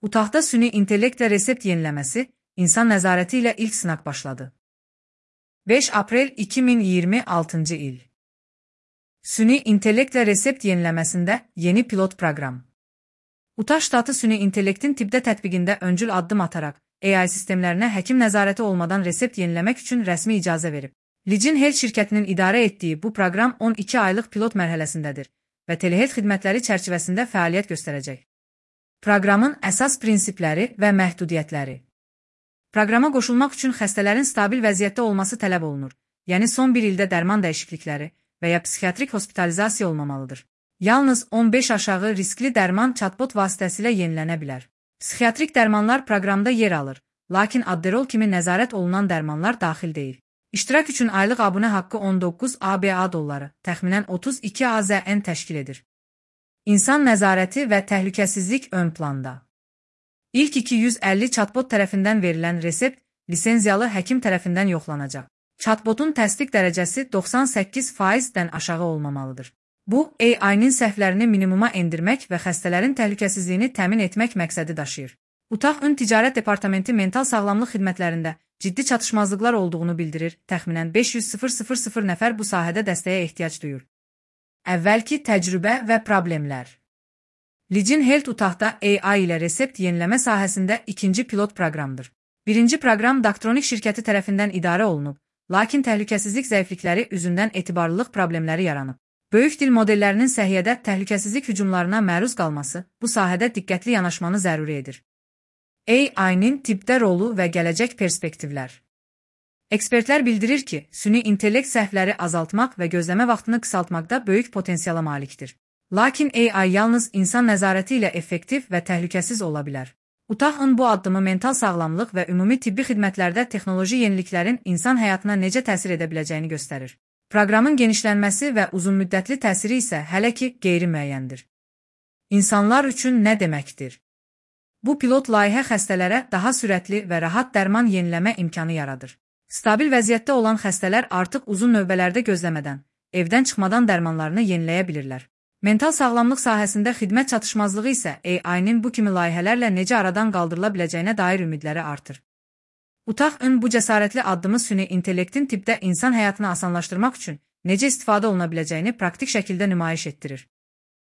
Utahda süni intellektlə resept yeniləməsi, insan nəzarəti ilə ilk sınaq başladı. 5 aprel 2026 il. Süni intellektlə resept yeniləməsində yeni pilot proqram. Utah ştatı süni intellektin tibbdə tətbiqində öncül addım ataraq, AI sistemlərinə həkim nəzarəti olmadan resept yeniləmək üçün rəsmi icazə verib. Licin Health şirkətinin idarə etdiyi bu proqram 12 aylıq pilot mərhələsindədir və telehealth xidmətləri çərçivəsində fəaliyyət göstərəcək. Proqramın əsas prinsipləri və məhdudiyyətləri. Proqrama qoşulmaq üçün xəstələrin stabil vəziyyətdə olması tələb olunur, yəni son bir ildə dərman dəyişiklikləri və ya psixiatrik hospitalizasiya olmamalıdır. Yalnız 15 aşağı riskli dərman chatbot vasitəsilə yenilənə bilər. Psixiatrik dərmanlar proqramda yer alır, lakin Adderall kimi nəzarət olunan dərmanlar daxil deyil. İştirak üçün aylıq abunə haqqı 19 ABA dolları, təxminən 32 AZN təşkil edir. İnsan nəzarəti və təhlükəsizlik ön planda. İlk 250 chatbot tərəfindən verilən resept lisenziyalı həkim tərəfindən yoxlanacaq. Chatbotun təsdiq dərəcəsi 98%-dən aşağı olmamalıdır. Bu, AI-nin səhvlərini minimuma endirmək və xəstələrin təhlükəsizliyini təmin etmək məqsədi daşıyır. Utah Ün Ticarət Departamenti mental sağlamlıq xidmətlərində ciddi çatışmazlıqlar olduğunu bildirir, təxminən 500.000 nəfər bu sahədə dəstəyə ehtiyac duyur. Əvvəlki təcrübə və problemlər. Licin Health Utahda AI ilə resept yeniləmə sahəsində ikinci pilot proqramdır. Birinci proqram Daktronik şirkəti tərəfindən idarə olunub, lakin təhlükəsizlik zəiflikləri üzündən etibarlılıq problemləri yaranıb. Böyük dil modellərinin səhiyyədə təhlükəsizlik hücumlarına məruz qalması bu sahədə diqqətli yanaşmanı zəruri edir. AI-nin tibbdə rolu və gələcək perspektivlər. Ekspertlər bildirir ki, süni intellekt səhvləri azaltmaq və gözləmə vaxtını qısaltmaqda böyük potensiala malikdir. Lakin AI yalnız insan nəzarəti ilə effektiv və təhlükəsiz ola bilər. Utah'ın bu addımı mental sağlamlıq və ümumi tibbi xidmətlərdə texnoloji yeniliklərin insan həyatına necə təsir edə biləcəyini göstərir. Proqramın genişlənməsi və uzunmüddətli təsiri isə hələ ki qeyri-müəyyəndir. İnsanlar üçün nə deməkdir? Bu pilot layihə xəstələrə daha sürətli və rahat dərman yeniləmə imkanı yaradır. Stabil vəziyyətdə olan xəstələr artıq uzun növbələrdə gözləmədən, evdən çıxmadan dərmanlarını yeniləyə bilirlər. Mental sağlamlıq sahəsində xidmət çatışmazlığı isə AI-nin bu kimi layihələrlə necə aradan qaldırıla biləcəyinə dair ümidləri artır. Utah Ün bu cəsarətli addımı süni intellektin tibbdə insan həyatını asanlaşdırmaq üçün necə istifadə oluna biləcəyini praktik şəkildə nümayiş etdirir.